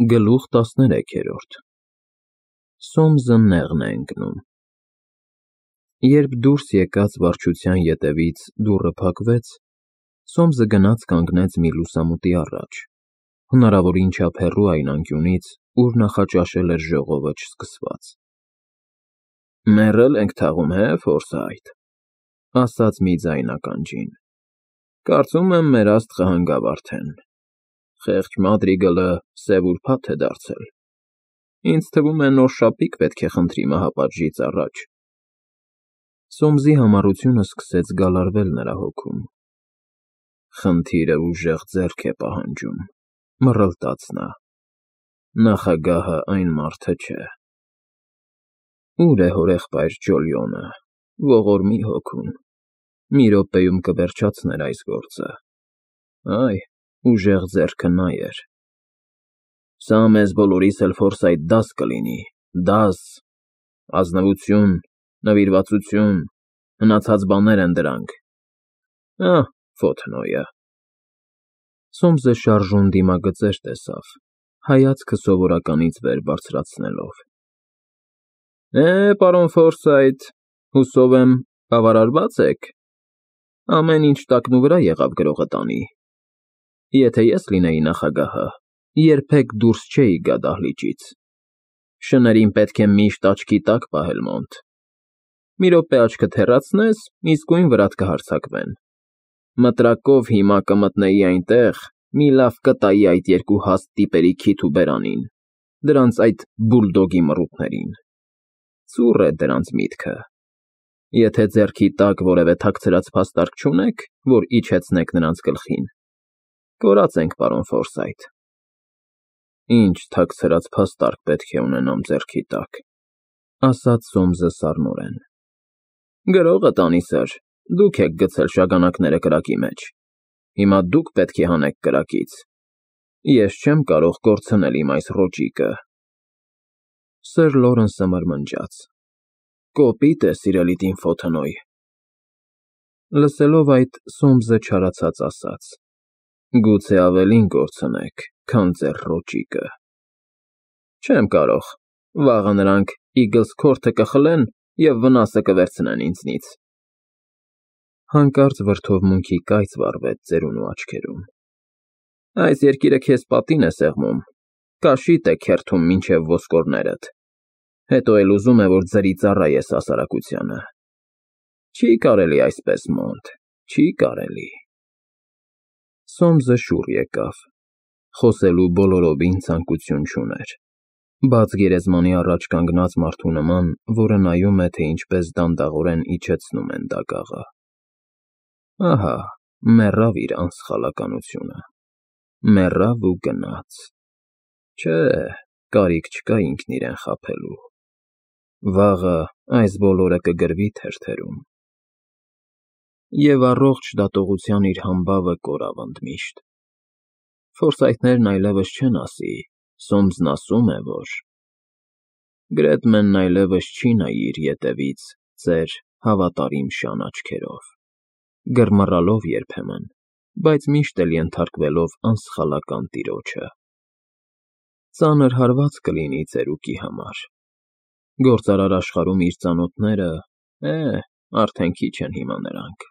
Գլուխ 13 Սոմզը նեղն է ընկնում։ Երբ դուրս եկած վարչության ետևից դուռը փակվեց, Սոմզը գնաց կանգնեց մի լուսամուտի առաջ, հնարավորին չափ հեռու այն անկյունից, ուր նախաճաշել էր ժողովը չսկսված։ «Մեռել ենք թաղում, Ֆորսայթ,» ասաց մի ձայն ականջին։ «Կարծում եմ, մեր աստղը հանգավ արդեն։ Խեղճ Մադրիգլը սև ուրբաթ է դարձել։ Ինձ թվում է նոր շապիկ պետք է խնդրի մահապատժից առաջ»։ Սոմզի համառությունը սկսեց գալարվել նրա հոգում։ «Խնդիրը ուժեղ ձեռք է պահանջում,» մռլտաց նա։ «Նախագահը այն մարդը չէ»։ Ո՞ւր է հորեղբայր Ջոլիոնը, ողորմի հոգուն։ Մի րոպեում կվերջացներ այս գործը։ Այ, ուժեղ ձեռքը նա էր։ «Սա մեզ բոլորիս էլ Ֆորսայթ դաս կլինի, դաս, ազնվություն, նվիրվածություն, հնացած բաներ են դրանք։ Ահ, Ֆոթնոյը»։ Սոմզը շարժուն դիմագծեր տեսավ, հայացքը սովորականից վեր բարձրացնելով։ Պարոն Ֆորսայթ, հուսով եմ, բավարարված եք։ Ամեն ինչ տակնուվրա եղավ գրողը տանի։ Եթե ես լինեի նախագահը, երբեք դուրս չէի գա դահլիճից։ Շներին պետք է միշտ աչքի տակ պահել մոնտ։ Մի րոպե աչքդ հեռացնես, իսկույն վրադ կհարձակվեն։ Մտրակով հիմա կմտնեի այնտեղ, մի լավ կտայի այդ երկու հաստ տիպերի քիթ ու բերանին, դրանց այդ բուլդոգի մռութներին։ Ծուռ է դրանց միտքը։ Եթե ձեռքի տակ որևէ թաքցրած փաստարկ չունեք, որ իջեցնեք նրանց գլխին, կորած ենք, պարոն Ֆորսայթ։ Ինչ թաքցրած փաստարկ պետք է ունենամ ձեռքի տակ, ասաց Սոմզը սառնորեն։ Գրողը տանի, սըր, դուք եք գցել շագանակները կրակի մեջ։ Հիմա դուք պետք է հանեք կրակից։ Ես չեմ կարող կորցնել իմ այս ռոճիկը։ Սըր Լորենսը մրմնջաց։ Կոպիտ է, սիրելի տին Ֆոթնոյ։ Լսելով այդ, Սոմզը չարացած ասաց. Գուցե ավելին կորցնեք, քան ձեր ռոճիկը։ Չեմ կարող, վաղը նրանք Իգլսքորթը կխլեն և վնասը կվերցնեն ինձնից։ Հանկարծ վրդովմունքի կայծ վառվեց ծերունու աչքերում։ Այս երկիրը քեզ պատին է սեղմում, կաշիտ է քերթում մինչև ոսկորներդ, հետո էլ ուզում է, որ ձրի ծառայես հասարակությանը։ Չի կարելի այսպես, մոնտ, չի կարելի։ Սոմզը շուռ եկավ, խոսելու բոլորովին ցանկություն չուներ, բաց գերեզմանի առաջ կանգնած մարդու նման, որը նայում է, թե ինչպես դանդաղորեն իջեցնում են դագաղը։ Ահա, մեռավ իր անսխալականությունը, մեռավ ու գնաց։ Չէ, կարիք չկա ինքն իրեն խաբելու։ Վաղը այս բոլորը կգրվի թերթերում։ Եվ առողջ դատողության իր համբավը կորավ ընդմիշտ։ Ֆորսայթներն այլևս չեն ասի, Սոմզն ասում է, որ… Գրեդմենն այլևս չի նայի իր ետևից ծեր հավատարիմ շան աչքերով, գրմռալով երբեմն, բայց միշտ էլ ենթարկվելով անսխալական տիրոջը։ Ծանր հարված կլինի ծերուկի համար։ Գործարար աշխարհում իր ծանոթները, արդեն քիչ են հիմա նրանք,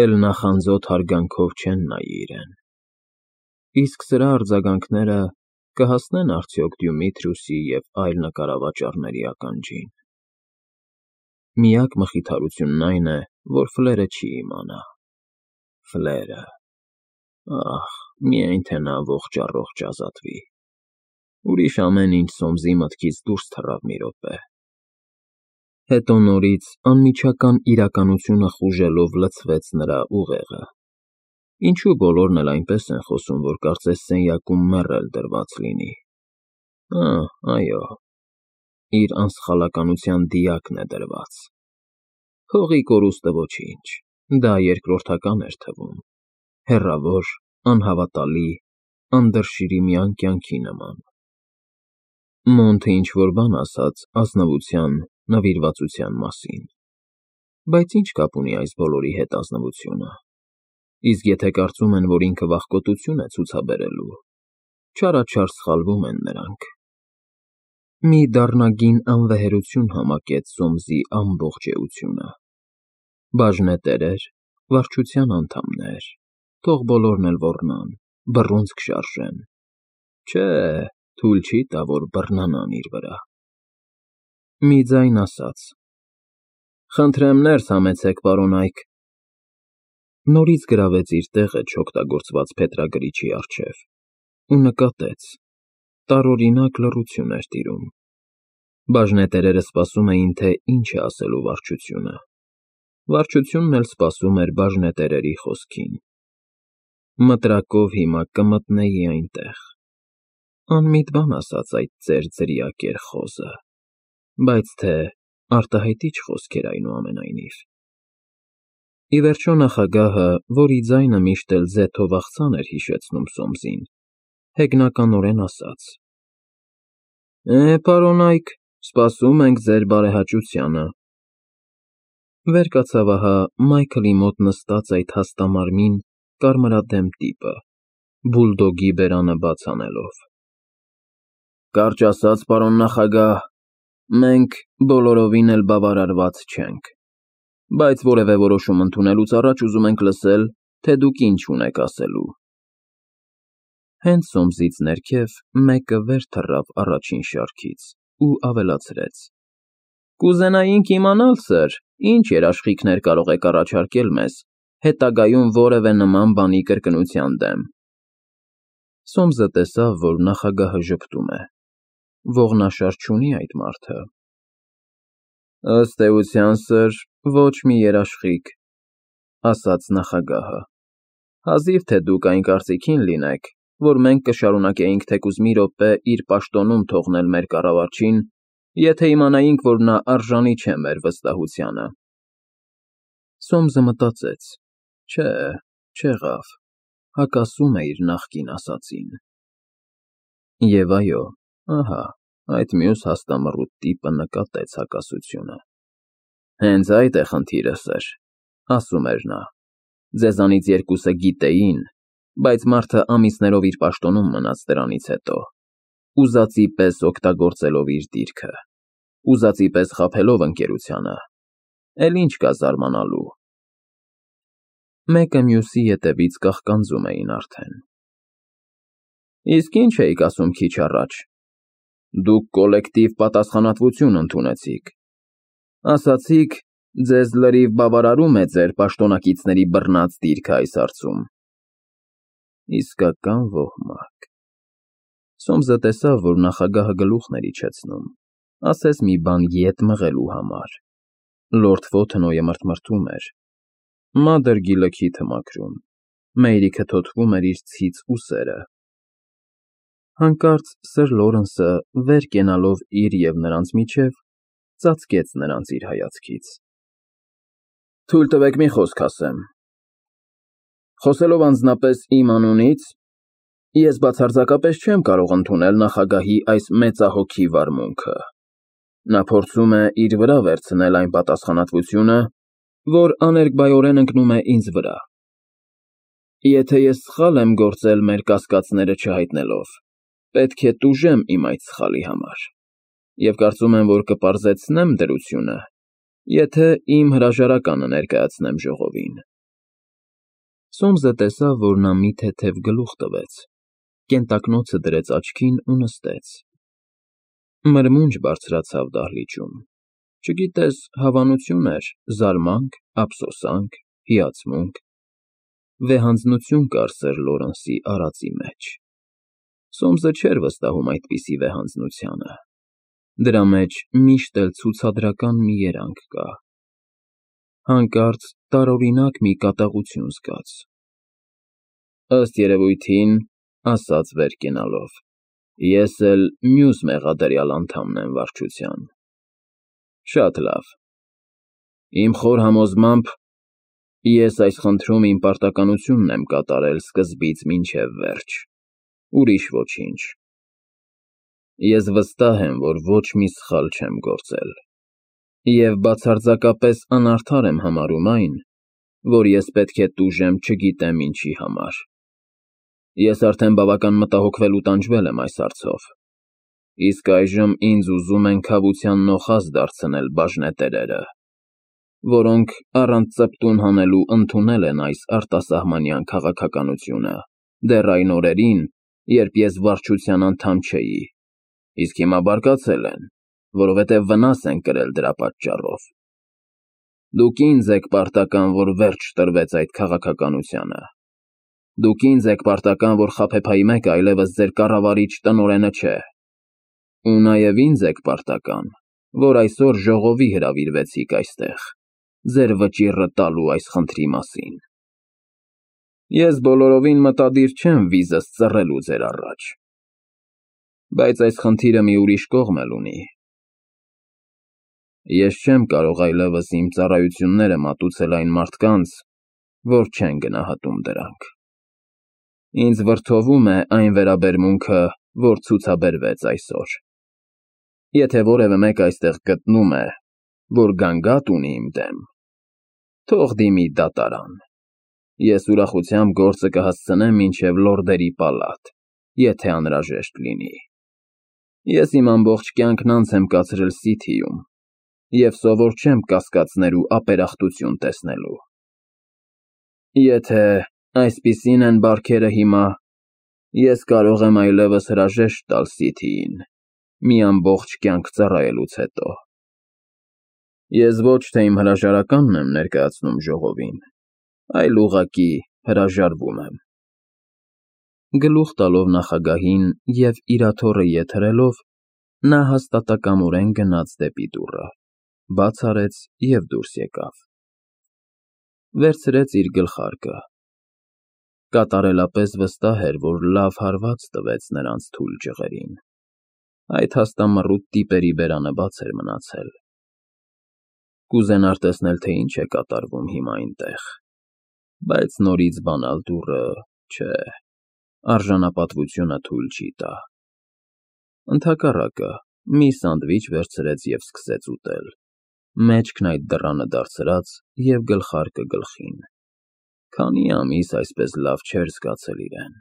էլ նախանձոտ հարգանքով չեն նայի իրեն։ Իսկ սրա արձագանքները կհասնեն արդյոք Դյումիթրիուսի և այլ նկարավաճառների ականջին։ Միակ մխիթարությունն այն է, որ Ֆլերը չի իմանա։ Ֆլերը… Ահ, միայն թե նա ողջ֊առողջ ազատվի։ Ուրիշ ամեն ինչ Սոմզի մտքից դուրս թռավ մի րոպե։ Հետո նորից անմիջական իրականությունը խուժելով լցվեց նրա ուղեղը։ Ինչու բոլորն էլ այնպես են խոսում, որ կարծես սենյակում մեռել դրված լինի։ Այո, իր անսխալականության դիակն է դրված։ Փողի կորուստը ոչինչ, դա երկրորդական էր թվում, հեռավոր, անհավատալի, անդրշիրիմյան կյանքի նման։ Մոնթը ինչ-որ բան ասաց ազնվության, նվիրվածության մասին։ Բայց ինչ կապ ունի այս բոլորի հետ ազնվությունը։ Իսկ եթե կարծում են, որ ինքը վախկոտություն է ցուցաբերելու, Չարաչար սխալվում են նրանք։ Մի դառնագին անվեհերություն համակեց Սոմսի ամբողջ էությունը։ Բաժնետեր էր, վարչության անդամներ, թող բոլորն էլ ոռնան, բռունցք շարժեն։ Չէ, թույլ չի տա, որ բռնանան իր վրա։ Մի ձայն ասաց. «Խնդրեմ ներս համեցեք, պարոն Այք»։ Նորից գրավեց իր տեղը չօգտագործված փետրագրիչի առջև ու նկատեց. տարօրինակ լռություն էր տիրում։ Բաժնետերերը սպասում էին, թե ինչ է ասելու վարչությունը։ Վարչությունն էլ սպասում էր բաժնետերերի խոսքին։ Մտրակով հիմա կմտնեի այնտեղ։ Անմիտ բան ասաց այդ ձեր ձրիակեր խոզը, բայց թե արտահայտիչ խոսք էր այնուամենայնիվ։ Ի վերջո նախագահը, որի ձայնը միշտ էլ ձեթով աղցան էր հիշեցնում Սոմսին, հեգնականորեն ասաց. Պարոն Այք, սպասում ենք ձեր բարեհաճությանը։ Վեր կացավ ահա Մայքլի մոտ նստած այդ հաստամարմին, կարմրադեմ տիպը, բուլդոգի բերանը բաց անելով։ Կարճ ասած, պարոն նախագահ, մենք բոլորովին էլ բավարարված չենք, բայց որևէ որոշում ընդունելուց առաջ ուզում ենք լսել, թե դուք ինչ ունեք ասելու։ Հենց Սոմսից ներքև մեկը վեր թռավ առաջին շարքից ու ավելացրեց. Կուզենայինք իմանալ, սըր, ինչ երաշխիքներ կարող եք առաջարկել մեզ, հետագայում որևէ նման բանի կրկնության դեմ։ Սոմսը տեսավ, որ նախագահը ժպտում է։ Ողնաշար չունի այդ մարդը։ Ըստ էության, սըր, ոչ մի երաշխիք, ասաց նախագահը։ Հազիվ թե դուք այն կարծիքին լինեք, որ մենք կշարունակեինք թեկուզ մի րոպե իր պաշտոնում թողնել մեր կառավարչին, եթե իմանայինք, որ նա արժանի չէ մեր վստահությանը։ Սոմսը մտածեց. Չէ, չեղավ, հակասում է իր նախկին ասածին։ Եվ այո, ահա, այդ մյուս հաստամռուտ տիպը նկատեց հակասությունը։ Հենց այդ է խնդիրը, սըր, ասում էր նա։ Ձեզանից երկուսը գիտեին, բայց մարդը ամիսներով իր պաշտոնում մնաց դրանից հետո, ուզածի պես օգտագործելով իր դիրքը, ուզածի պես խաբելով ընկերությանը, էլ ինչ կա զարմանալու։ Մեկը մյուսի ետևից կաղկանձում էին արդեն։ Իսկ ինչ էիք ասում քիչ առաջ։ Դուք կոլեկտիվ պատասխանատվություն ընդունեցիք։ Ասացիք, ձեզ լրիվ բավարարում է ձեր պաշտոնակիցների բռնած դիրքը այս հարցում։ Իսկական ոհմակ։ Սոմսը տեսավ, որ նախագահը գլուխն էր իջեցնում, ասես մի բան ետ մղելու համար։ Լորդ Ֆոթենոյը մրթմրթում էր։ Մադր գիլը մաքրում, Մեյրիքը թոթվում էր իր ցից ուսերը։ Հանկարծ Սըր Լորենսը, վեր կենալով իր և նրանց միջև, ծածկեց նրանց իր հայացքից։ Թույլ տվեք մի խոսք ասեմ։ Խոսելով անձնապես իմ անունից, ես բացարձակապես չեմ կարող ընդունել նախագահի այս մեծահոգի վարմունքը։ Նա փորձում է իր վրա վերցնել այն պատասխանատվությունը, որ աներկբայորեն ընկնում է ինձ վրա։ Եթե ես սխալ եմ գործել մեր կասկածները չհայտնելով, պետք է տուժեմ իմ այդ սխալի համար, և կարծում եմ, որ կպարզեցնեմ դրությունը, եթե իմ հրաժարականը ներկայացնեմ ժողովին։ Սոմսը տեսավ, որ նա մի թեթև գլուխ տվեց, կենտակնոցը դրեց աչքին ու նստեց։ Մրմունջ բարձրացավ դահլիճում, չգիտես, հավանություն էր, զարմանք, ափսոսանք, հիացմունք, վեհանձնություն կար Սըր Լորենսի արածի մեջ։ Սոմսը չէր վստահում այդպիսի վեհանձնությանը։ Դրա մեջ միշտ էլ ցուցադրական մի երանգ կա։ Հանկարծ տարօրինակ մի կատաղություն զգաց։ Ըստ երևույթին, ասաց վեր կենալով, ես էլ մյուս մեղադրյալ անդամն եմ վարչության։ Շատ լավ։ Իմ խոր համոզմամբ, ես այս խնդրում իմ պարտականությունն եմ կատարել սկզբից մինչև վերջ, ուրիշ ոչինչ։ Ես վստահ եմ, որ ոչ մի սխալ չեմ գործել, և բացարձակապես անարդար եմ համարում այն, որ ես պետք է տուժեմ չգիտեմ ինչի համար։ Ես արդեն բավական մտահոգվել ու տանջվել եմ այս հարցով, իսկ այժմ ինձ ուզում են քավության նոխազ դարձնել բաժնետերերը, որոնք առանց ծպտուն հանելու ընդունել են այս արտասահմանյան քաղաքականությունը դեռ այն օրերին, երբ ես վարչության անդամ չէի, իսկ հիմա բարկացել են, որովհետև վնաս են կրել դրա պատճառով։ Դուք ինձ եք պարտական, որ վերջ տրվեց այդ քաղաքականությանը։ Դուք ինձ եք պարտական, որ խաբեբայի մեկը այլևս ձեր կառավարիչ տնօրենը չէ։ Ու նաև ինձ եք պարտական, որ այսօր ժողովի հրավիրվեցիք այստեղ, ձեր վճիռը տալու այս խնդրի մասին։ Ես բոլորովին մտադիր չեմ վիզս ծռելու ձեր առաջ, բայց այս խնդիրը մի ուրիշ կողմ էլ ունի։ Ես չեմ կարող այլևս իմ ծառայությունները մատուցել այն մարդկանց, որ չեն գնահատում դրանք։ Ինձ վրդովում է այն վերաբերմունքը, որ ցուցաբերվեց այսօր։ Եթե որևէ մեկ այստեղ գտնում է, որ գանգատ ունի իմ դեմ, թող դիմի դատարան։ Ես ուրախությամբ գործը կհասցնեմ մինչև լորդերի պալատ, եթե անհրաժեշտ լինի։ Ես իմ ամբողջ կյանքն անց եմ կացրել Սիթիում և սովոր չեմ կասկածներ ու ապերախտություն տեսնելու։ Եթե այսպիսին են բարքերը հիմա, ես կարող եմ այլևս հրաժեշտ տալ Սիթիին, մի ամբողջ կյանք ծառայելուց հետո։ Ես ոչ թե իմ հրաժարականն եմ ներկայացնում ժողովին, այլ ուղղակի հրաժարվում եմ։ Գլուխ տալով նախագահին և իր աթոռը ետ հրելով, նա հաստատակամորեն գնաց դեպի դուռը, բաց արեց և դուրս եկավ։ Վերցրեց իր գլխարկը։ Կատարելապես վստահ էր, որ լավ հարված տվեց նրանց թույլ ջղերին։ Այդ հաստամռութ տիպերի բերանը բաց էր մնացել։ Կուզենար տեսնել, թե ինչ է կատարվում հիմա այնտեղ, բայց նորից բանալ դուռը, չէ, արժանապատվությունը թույլ չի տա։ Ընդհակառակը, մի սանդվիչ վերցրեց և սկսեց ուտել, մեջքն այդ դռանը դարձրած և գլխարկը գլխին։ Քանի ամիս այսպես լավ չէր զգացել իրեն։